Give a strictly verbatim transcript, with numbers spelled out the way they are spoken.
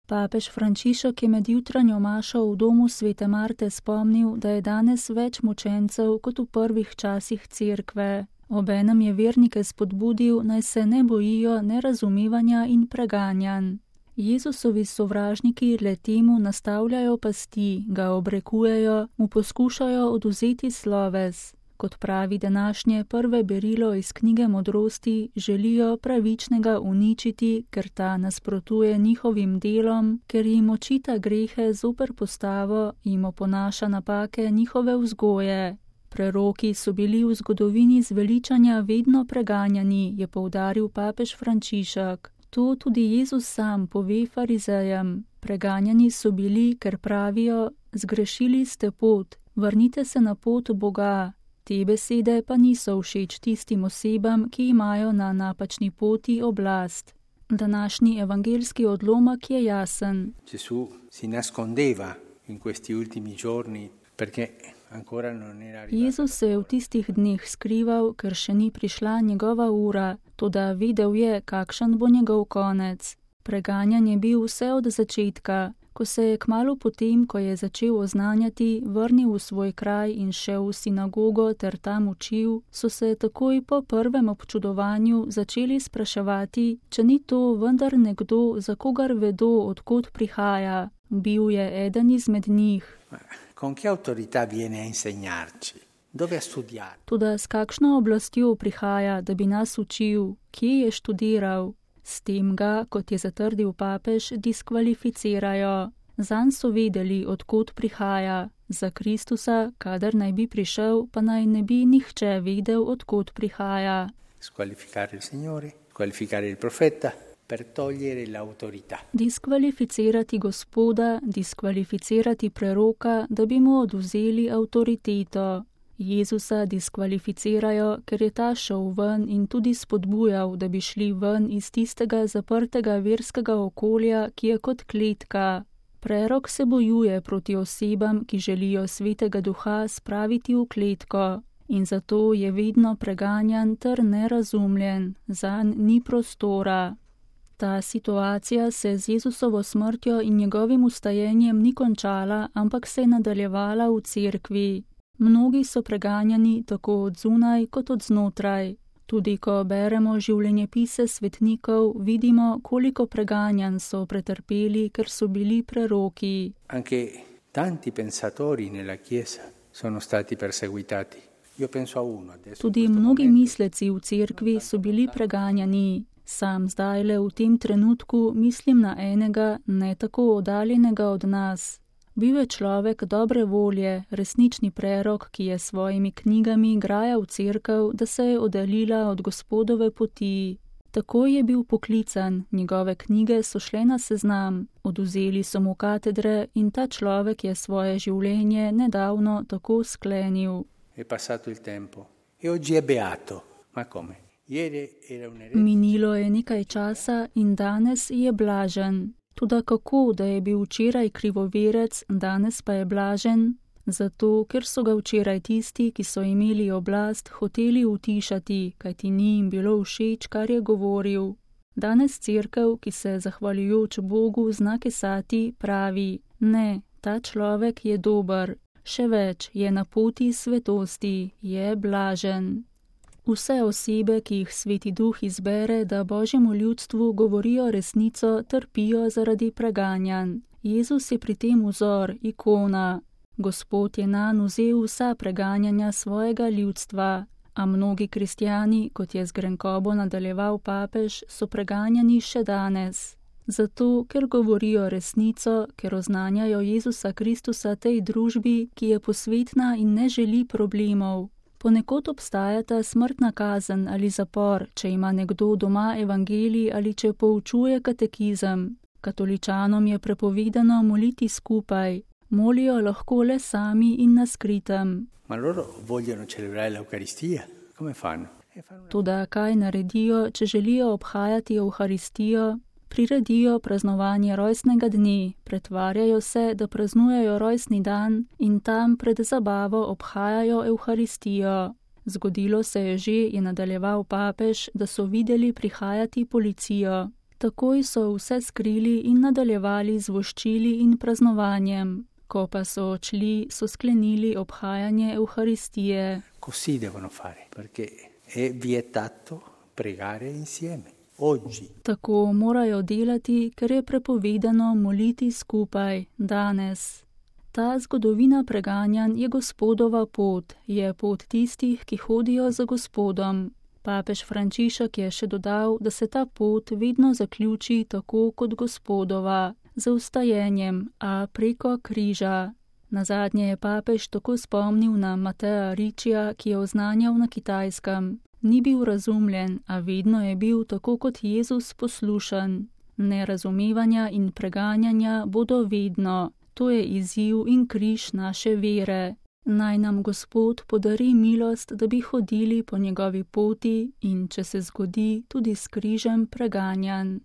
Papež Frančišek je med jutranjo mašo v domu svete Marte spomnil, da je danes več mučencev kot v prvih časih cerkve. Obenem je vernike spodbudil, naj se ne bojijo nerazumevanja in preganjanj. Jezusovi sovražniki le temu nastavljajo pasti, ga obrekujejo, mu poskušajo odvzeti sloves. Kot pravi današnje prve berilo iz knjige modrosti, želijo pravičnega uničiti, ker ta nasprotuje njihovim delom, ker jim očita grehe zoper postavo, jim oponaša napake njihove vzgoje. Preroki so bili v zgodovini zveličanja vedno preganjani, je poudaril papež Frančišek. To tudi Jezus sam pove farizejem. Preganjani so bili, ker pravijo, zgrešili ste pot, vrnite se na pot Boga. Te besede pa niso všeč tistim osebam, ki imajo na napačni poti oblast. Današnji evangeljski odlomek je jasen. Gesù si nascondeva in questi ultimi giorni perché ancora non era arrivato. Jezus se je v tistih dneh skrival, ker še ni prišla njegova ura, toda videl je, kakšen bo njegov konec. Preganjan je bil vse od začetka. Ko se je kmalu potem, ko je začel oznanjati, vrnil v svoj kraj in šel v sinagogo ter tam učil, so se takoj po prvem občudovanju začeli spraševati, če ni to vendar nekdo, za kogar vedo, odkot prihaja. Bil je eden izmed njih. Con che autorità viene a insegnarci? Dove ha studiato? Toda s kakšno oblastjo prihaja, da bi nas učil? Kje je študiral? S tem ga, kot je zatrdil papež, diskvalificirajo. Zanj so vedeli, odkot prihaja. Za Kristusa, kadar naj bi prišel, pa naj ne bi nihče vedel, odkot prihaja. Squalificare il Signore, squalificare il profeta, per togliere l'autorità. Diskvalificirati Gospoda, diskvalificirati preroka, da bi mu odvzeli avtoriteto. Jezusa diskvalificirajo, ker je ta šel ven in tudi spodbujal, da bi šli ven iz tistega zaprtega verskega okolja, ki je kot kletka. Prerok se bojuje proti osebam, ki želijo svetega duha spraviti v kletko, in zato je vedno preganjan ter nerazumljen, zanj ni prostora. Ta situacija se z Jezusovo smrtjo in njegovim ustajenjem ni končala, ampak se je nadaljevala v cerkvi. Mnogi so preganjani tako od zunaj kot od znotraj. Tudi ko beremo življenjepise svetnikov, vidimo, koliko preganjanj so pretrpeli, ker so bili preroki. Anche tanti pensatori nella Chiesa sono stati perseguitati. Io penso a uno adesso. Tudi mnogi misleci v cerkvi so bili preganjani. Sam zdajle v tem trenutku mislim na enega, ne tako oddaljenega od nas. Bil je človek dobre volje, resnični prerok, ki je s svojimi knjigami grajal cerkev, da se je oddaljila od Gospodove poti. Tako je bil poklican, njegove knjige so šle na seznam, odvzeli so mu katedre in ta človek je svoje življenje nedavno tako sklenil. Je passato il tempo. E oggi è beato. Ma come? Ieri era un erede. Minilo je nekaj časa in danes je blažen. Toda kako, da je bil včeraj krivoverec, danes pa je blažen? Zato, ker so ga včeraj tisti, ki so imeli oblast, hoteli utišati, kajti ni jim bilo všeč, kar je govoril. Danes cerkev, ki se zahvaljujoč Bogu zna kesati, pravi, ne, ta človek je dober, še več, je na poti svetosti, je blažen. Vse osebe, ki jih Sveti Duh izbere, da Božjemu ljudstvu govorijo resnico, trpijo zaradi preganjanj. Jezus je pri tem vzor, ikona. Gospod je nanj vzel vsa preganjanja svojega ljudstva, a mnogi kristjani, kot je z grenkobo nadaljeval papež, so preganjani še danes. Zato, ker govorijo resnico, ker oznanjajo Jezusa Kristusa tej družbi, ki je posvetna in ne želi problemov. Ponekod obstajata smrtna kazen ali zapor, če ima nekdo doma evangelij ali če poučuje katekizem. Katoličanom je prepovedano moliti skupaj, molijo lahko le sami in na skritem. Ma loro vogliono celebrare l'Eucaristia. Come fanno? Toda kaj naredijo, če želijo obhajati Evharistijo? Priredijo praznovanje rojstnega dne, pretvarjajo se, da praznujejo rojstni dan in tam pred zabavo obhajajo Evharistijo. Zgodilo se je že, je nadaljeval papež, da so videli prihajati policijo. Takoj so vse skrili in nadaljevali z voščili in praznovanjem. Ko pa so odšli, so sklenili obhajanje Euharistije. Così devono fare, perché è vietato pregare insieme. Oggi. Tako morajo delati, ker je prepovedano moliti skupaj, danes. Ta zgodovina preganjanj je Gospodova pot, je pot tistih, ki hodijo za Gospodom. Papež Frančišek je še dodal, da se ta pot vedno zaključi tako kot Gospodova, z vstajenjem, a preko križa. Nazadnje je papež tako spomnil na Matea Riccija, ki je oznanjal na Kitajskem. Ni bil razumljen, a vedno je bil tako kot Jezus poslušan. Nerazumevanja in preganjanja bodo vedno. To je izziv in križ naše vere. Naj nam Gospod podari milost, da bi hodili po njegovi poti in, če se zgodi, tudi s križem preganjan.